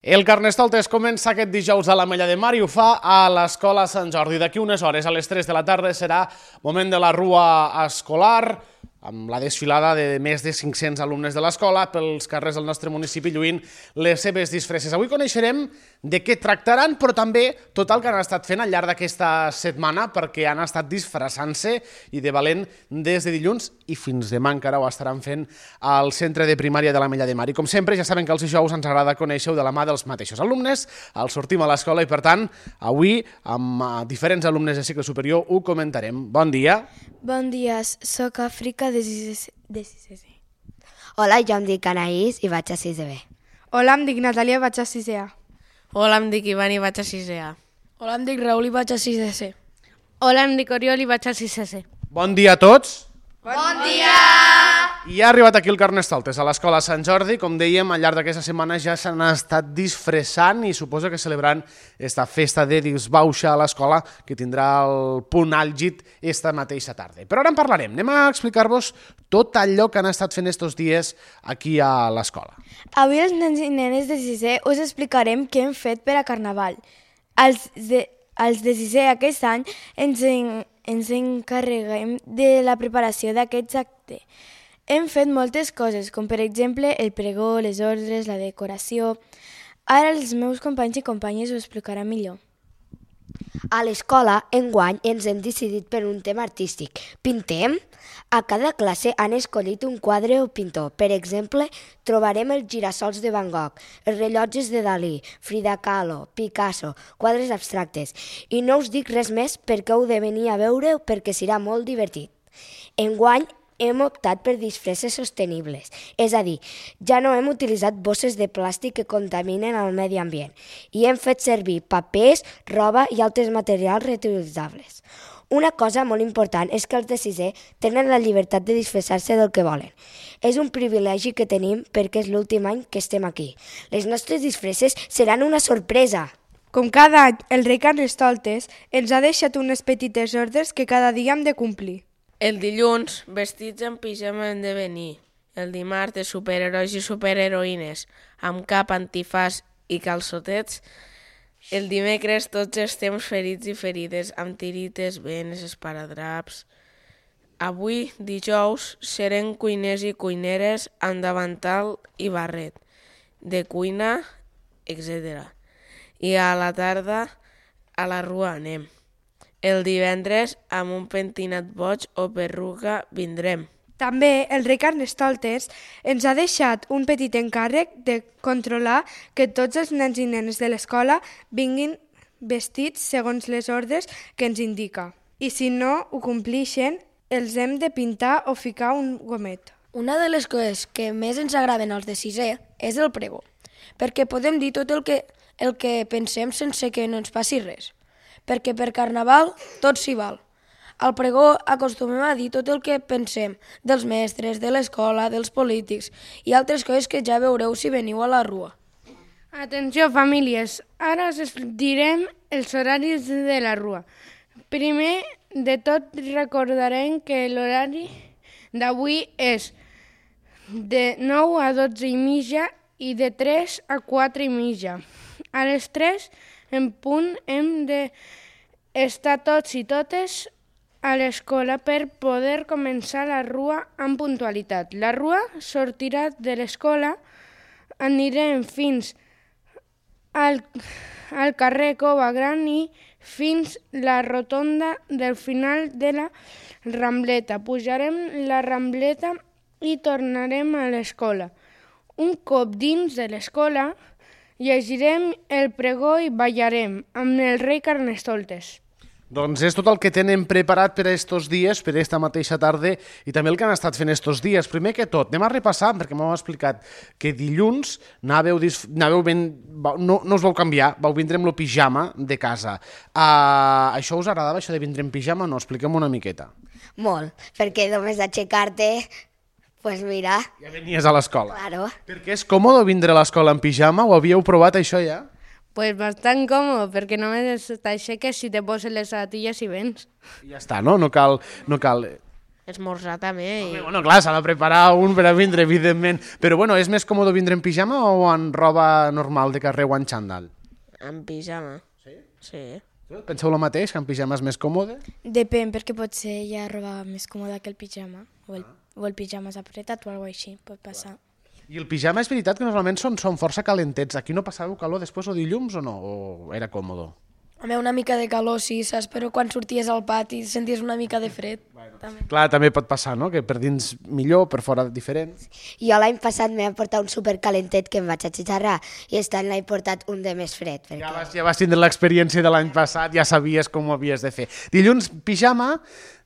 El Carnestoltes comença aquest dijous a l'Ametlla de Mar i ho fa a l'Escola Sant Jordi. D'aquí unes hores, a les 3 de la tarda, serà moment de la rua escolar, amb la desfilada de més de 500 alumnes de l'escola pels carrers del nostre municipi lluint les seves disfresses. Avui coneixerem de què tractaran, però també tot el que han estat fent al llarg d'aquesta setmana, perquè han estat disfressant-se i de valent des de dilluns i fins demà encara ho estaran fent al centre de primària de l'Ametlla de Mar. I com sempre, ja saben que els dijous ens agrada conèixer de la mà dels mateixos alumnes, els sortim a l'escola i per tant, avui amb diferents alumnes de cicle superior ho comentarem. Bon dia. Bon dia, soc Àfrica de 6C. Hola, jo em dic Anaïs i vaig a 6B. Hola, em dic Natàlia i vaig a 6A. Hola, em dic Ivan i vaig a 6A. Hola, em dic Raül i vaig a 6C. Hola, em dic Oriol i vaig a 6C. Bon dia a tots. Bon dia! I ha arribat aquí el Carnestoltes, a l'Escola Sant Jordi. Com dèiem, al llarg d'aquesta setmana ja s'han estat disfressant i suposo que celebrant esta festa de disbauxa a l'escola que tindrà el punt àlgid esta mateixa tarda. Però ara en parlarem. Anem a explicar-vos tot allò que han estat fent estos dies aquí a l'escola. Avui els nens i nenes de 6è us explicarem què hem fet per a Carnaval. Els de 6è aquest any ens encarreguem de la preparació d'aquests actes. Hem fet moltes coses, com per exemple el pregó, les ordres, la decoració. Ara els meus companys i companyes ho explicaran millor. A l'escola, enguany, ens hem decidit per un tema artístic. Pintem? A cada classe han escollit un quadre o pintor. Per exemple, trobarem els girassols de Van Gogh, els rellotges de Dalí, Frida Kahlo, Picasso, quadres abstractes. I no us dic res més perquè heu de venir a veure perquè serà molt divertit. Enguany, hem optat per disfresses sostenibles, és a dir, ja no hem utilitzat bosses de plàstic que contaminen el medi ambient i hem fet servir papers, roba i altres materials reutilitzables. Una cosa molt important és que els de 6è tenen la llibertat de disfressar-se del que volen. És un privilegi que tenim perquè és l'últim any que estem aquí. Les nostres disfresses seran una sorpresa. Com cada any, el rei Carnestoltes ens ha deixat unes petites ordres que cada dia hem de complir. El dilluns, vestits en pijama hem de venir. El dimarts, de superherois i superheroïnes, amb cap, antifàs i calçotets. El dimecres, tots estem ferits i ferides, amb tirites, venes, esparadraps. Avui, dijous, serem cuiners i cuineres amb davantal i barret, de cuina, etc. I a la tarda, a la rua anem. El divendres, amb un pentinat boig o perruca, vindrem. També el rei Carnestoltes ens ha deixat un petit encàrrec de controlar que tots els nens i nenes de l'escola vinguin vestits segons les ordres que ens indica. I si no ho complixen, els hem de pintar o ficar un gomet. Una de les coses que més ens agraden als de 6è és el pregó, perquè podem dir tot el que pensem sense que no ens passi res. Perquè per Carnaval tot s'hi val. Al pregó acostumem a dir tot el que pensem dels mestres, de l'escola, dels polítics i altres coses que ja veureu si veniu a la rua. Atenció, famílies, ara us direm els horaris de la rua. Primer de tot recordarem que l'horari d'avui és de 9 a 12 i mitja i de 3 a 4 i mitja. A les 3 en punt hem d'estar tots i totes a l'escola per poder començar la rua amb puntualitat. La rua sortirà de l'escola, anirem fins al carrer Cova Gran i fins la rotonda del final de la Rambleta. Pujarem la Rambleta i tornarem a l'escola. Un cop dins de l'escola, llegirem el pregó i ballarem amb el rei Carnestoltes. Doncs és tot el que tenen preparat per a estos dies, per a esta mateixa tarda i també el que han estat fent estos dies. Primer que tot, anem a repassar, perquè m'heu explicat que dilluns no us vau canviar, vau vindre amb el pijama de casa. Això us agradava, això de vindre en pijama? No, expliquem una miqueta. Molt, perquè només aixecar-te, pues mira... Ja venies a l'escola. Claro. Perquè és còmode vindre a l'escola en pijama? Ho havíeu provat, això ja? Pues bastant còmode, perquè només t'aixeques si te poses les sabatilles i vens. I ja està, no? No cal... esmorzar també. I... Bueno, clar, s'ha de preparar un per a vindre, evidentment. Però bueno, és més còmode vindre en pijama o en roba normal de carrer o en xandall? En pijama. Sí? Sí. Penseu el mateix, que en pijama és més còmode? Depèn, perquè potser hi ha roba més còmoda que el pijama, o el pijama és apretat o alguna cosa així, pot passar. I el pijama és veritat que normalment són força calentets. Aquí no passàveu calor després o dilluns o no? O era còmode? Home, una mica de calor, sí, saps? Però quan sorties al pati senties una mica de fred. També. Clar, també pot passar, no? Que per dins millor, per fora diferent. Jo l'any passat m'he portat un supercalentet que em vaig atxitxarrar i aquest any l'he portat un de més fred. Perquè... Ja vas tindre l'experiència de l'any passat, ja sabies com ho havies de fer. Dilluns, pijama,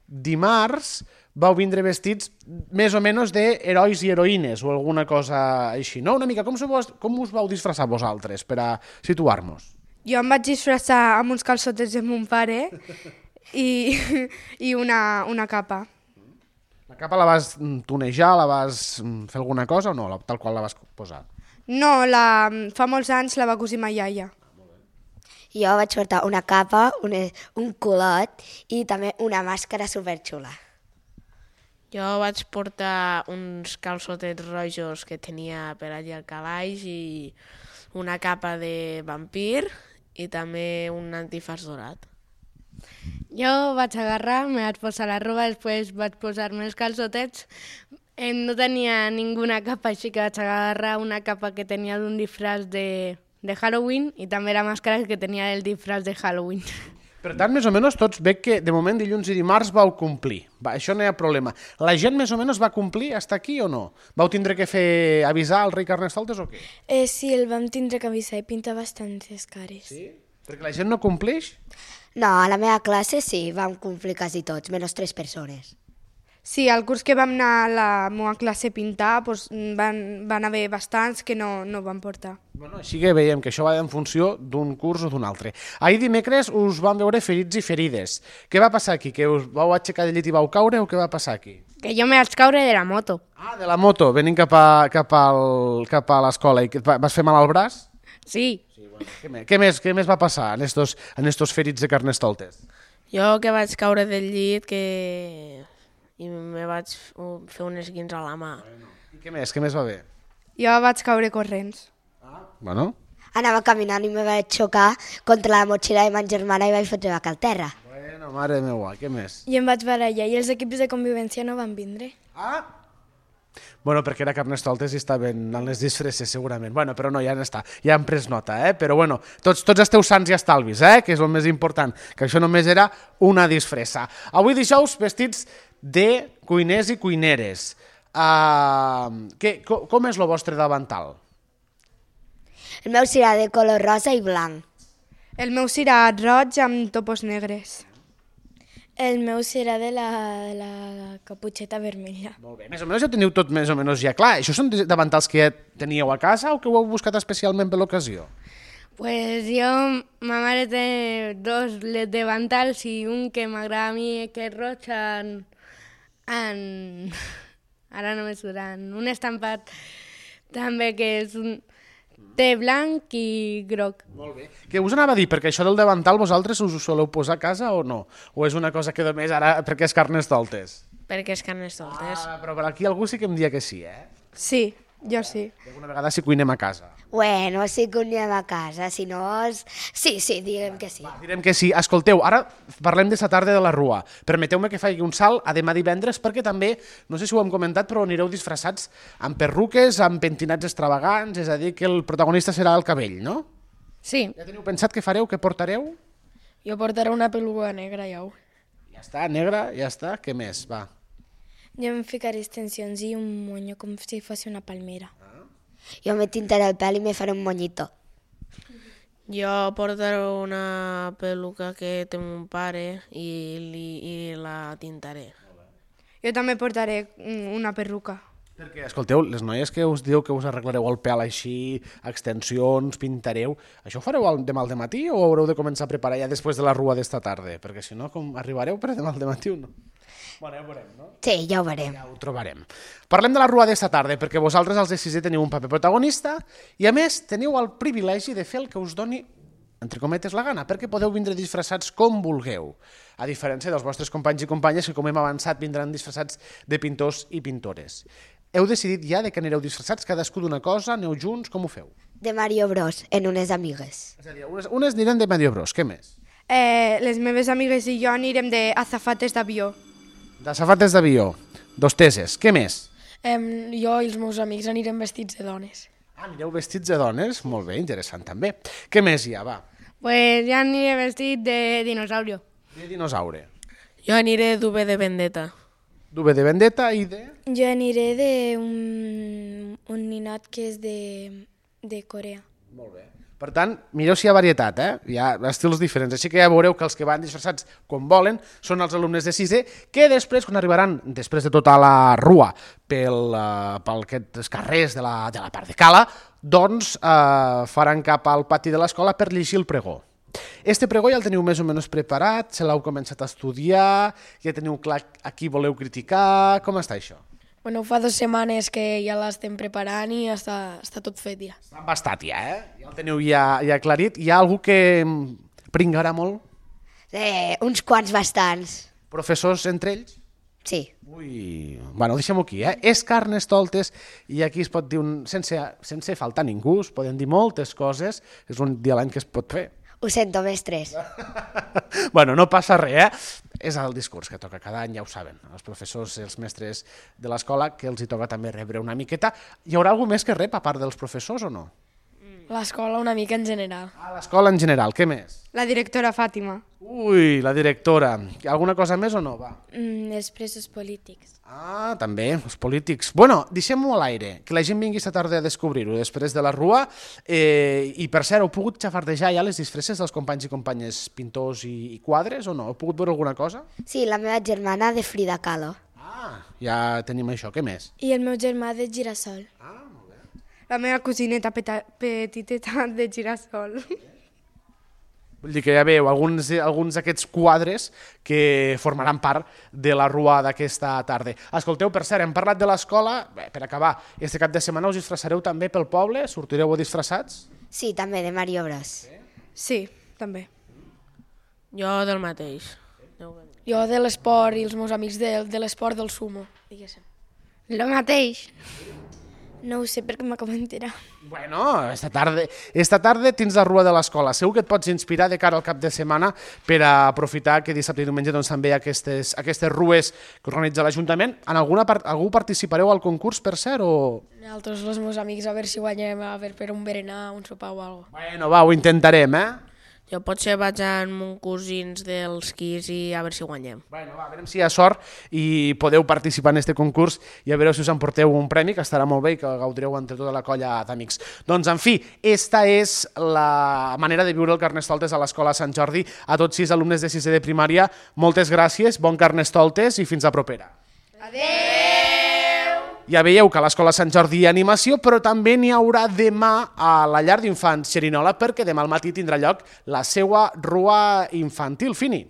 dimarts vau vindre vestits més o menys d'herois i heroïnes o alguna cosa així, no? Una mica, com us vau disfressar vosaltres per a situar-nos? Jo em vaig disfressar amb uns calçotets de mon pare i una capa. La capa la vas tonejar, la vas fer alguna cosa o no? Tal qual la vas posar? No, fa molts anys la va cosir ma iaia. Jo vaig portar una capa, un culot i també una màscara superxula. Jo vaig portar uns calçotets rojos que tenia per allà al calaix i una capa de vampir i també un antifàs dorat. Jo vaig agarrar, me vaig posar la roba, després vaig posar-me els calçotets. No tenia ninguna capa, així que vaig agarrar una capa que tenia d'un disfraç de Halloween i també la màscara que tenia el disfraç de Halloween. Per tant, més o menys tots veig que de moment dilluns i dimarts vau complir. Això no hi ha problema. La gent més o menys va complir fins aquí o no? Vau tindre que avisar al rei Carnestoltes o què? Sí, el vam tindre que avisar i pintar bastantes cares. Sí? Perquè la gent no compleix? No, a la meva classe sí, vam complir quasi tots, menys 3 persones. Sí, al curs que vam anar a la meva classe a pintar doncs van haver bastants que no van portar. Bueno, així que veiem que això va en funció d'un curs o d'un altre. Ahir dimecres us vam veure ferits i ferides. Què va passar aquí? Que us vau aixecar del llit i vau caure o què va passar aquí? Que jo me vaig caure de la moto. Ah, de la moto, venint cap a l'escola. I vas fer mal al braç? Sí. Què més va passar en estos ferits de Carnestoltes? Jo que vaig caure del llit i me vaig fer un esguins a la mà. I què més va bé? Jo vaig caure corrents. Bueno. Anava caminant i me vaig xocar contra la motxilla de ma germana i vaig fotre la cal terra. Bueno, mare meva, què més? I em vaig barallar i els equips de convivència no van vindre. Ah! Bueno, perquè era Carnestoltes i estaven en les disfresses, segurament. Bueno, però no, ja n'està. Ja han pres nota, Però bueno, tots esteu sants i estalvis, que és el més important, que això només era una disfressa. Avui dijous, vestits de cuiners i cuineres. Com és el vostre davantal? El meu serà de color rosa i blanc. El meu serà roig amb topos negres. El meu serà de la caputxeta vermella. Molt bé. Més o menys ja teniu tot més o menys ja clar. Això són davantals que ja teníeu a casa o que ho heu buscat especialment per l'ocasió? Pues jo, ma mare té 2 davantals i un que m'agrada a mi que és roig ara no me suran, un estampat també que és té blanc i groc. Molt bé. Què us anava a dir? Perquè això del davantal vosaltres us ho soleu posar a casa o no? O és una cosa que només ara perquè és Carnestoltes? Perquè és Carnestoltes. Però per aquí algú sí que em dia que sí, Sí, jo sí. I alguna vegada sí cuinem a casa. Bueno, sí que anem a casa, si no... Sí, diguem que sí. Va, direm que sí. Escolteu, ara parlem de la tarda de la Rua. Permeteu-me que faci un salt a demà divendres perquè també, no sé si ho hem comentat, però anireu disfressats amb perruques, amb pentinats extravagants, és a dir, que el protagonista serà el cabell, no? Sí. Ja teniu pensat què fareu, què portareu? Jo portaré una peluga negra, ja ho. Ja està, negra, ja està. Què més? Va. Jo em ficaré extensions i un monyo com si fos una palmera. Jo me tintaré el pèl i me faré un monyito. Jo portaré una peluca que té mon pare i la tintaré. Jo també portaré una perruca. Perquè, escolteu, les noies que us dieu que us arreglareu el pèl així, extensions, pintareu, això ho fareu demà al dematí o haureu de començar a preparar ja després de la Rua d'esta tarda? Perquè si no, com arribareu per demà al dematí o no? Bueno, ja ho veurem, no? Sí, ja ho veurem. Ja ho trobarem. Parlem de la Rua d'esta tarda, perquè vosaltres, els de 6è, teniu un paper protagonista i, a més, teniu el privilegi de fer el que us doni entre cometes, la gana, perquè podeu vindre disfressats com vulgueu, a diferència dels vostres companys i companyes que, com hem avançat, vindran disfressats de pintors i pintores. Heu decidit ja de que anireu disfressats cadascú d'una cosa, aneu junts, com ho feu? De Mario Bros, en unes amigues. És a dir, unes aniran de Mario Bros, què més? Les meves amigues i jo anirem d'azafates d'avió. D'azafates d'avió, d'hosteses, què més? Jo i els meus amics anirem vestits de dones. Anireu vestits de dones? Molt bé, interessant també. Què més hi ha, va? Pues ja aniré vestit de dinosaurio. De dinosaure. Jo aniré d'UV de Vendetta. D'UV de Vendetta i de... Jo aniré d'un ninot que és de Corea. Molt bé. Per tant, mireu si hi ha varietat, hi ha estils diferents, així que ja veureu que els que van disfressats com volen són els alumnes de sisè, que després, quan arribaran, després de tota la rua, pel aquests carrers de la part de Cala, doncs faran cap al pati de l'escola per llegir el pregó. Este pregó ja el teniu més o menys preparat, se l'heu començat a estudiar, ja teniu clar a qui voleu criticar, com està això? Bueno, fa 2 setmanes que ja l'estem preparant i està tot fet ja. Està bastat ja, Ja el teniu ja aclarit. Hi ha algú que pringarà molt? Uns quants bastants. Professors entre ells? Sí. Ui, bueno, deixem-ho aquí, És Carnestoltes i aquí es pot dir, sense faltar ningú, es poden dir moltes coses, és un dia a l'any que es pot fer. Ho sento, mestres. Bueno, no passa res, És el discurs que toca cada any, ja ho saben, els professors i els mestres de l'escola, que els hi toca també rebre una miqueta. Hi haurà algú més que rep, a part dels professors, o no? L'escola una mica en general. A l'escola en general, què més? La directora Fàtima. Ui, la directora. Alguna cosa més o no? Va. Els presos polítics. Ah, també, els polítics. Bueno, deixem-ho a l'aire, que la gent vingui esta tarda a descobrir-ho després de la rua. I per cert, heu pogut xafardejar ja les disfresses dels companys i companyes pintors i quadres o no? Heu pogut veure alguna cosa? Sí, la meva germana de Frida Kahlo. Ah, ja tenim això. Què més? I el meu germà de Girasol. La meva cosineta petiteta de Girasol. Vull dir que ja veieu alguns d'aquests quadres que formaran part de la rua d'aquesta tarda. Escolteu, per cert, hem parlat de l'escola. Per acabar, este cap de setmana us disfressareu també pel poble? Sortireu disfressats? Sí, també de Mario Bros. Sí, també. Jo del mateix. Jo de l'esport i els meus amics de l'esport del sumo, diguéssim. Lo mateix. No ho sé perquè m'acabo d'enterar. Bueno, esta tarda tens la rua de l'escola. Segur que et pots inspirar de cara al cap de setmana per a aprofitar que dissabte i diumenge doncs, també hi ha aquestes rues que organitza l'Ajuntament. En algú participareu al concurs, per cert, o...? Nosaltres, els meus amics, a veure si guanyem per un berenar, un sopar o alguna cosa. Bueno, va, ho intentarem, Jo potser vaig amb uns cosins dels quis i a veure si guanyem. Bueno, va, a veure si hi ha sort i podeu participar en aquest concurs i a veure si us emporteu un premi, que estarà molt bé i que gaudireu entre tota la colla d'amics. Doncs, en fi, esta és la manera de viure el Carnestoltes a l'Escola Sant Jordi. A tots 6 alumnes de 6è de primària, moltes gràcies, bon Carnestoltes i fins a propera. Adéu! Ja veieu que a l'Escola Sant Jordi hi ha animació, però també n'hi haurà demà a la llar d'infants Xerinola, perquè demà al matí tindrà lloc la seva rua infantil. Fini.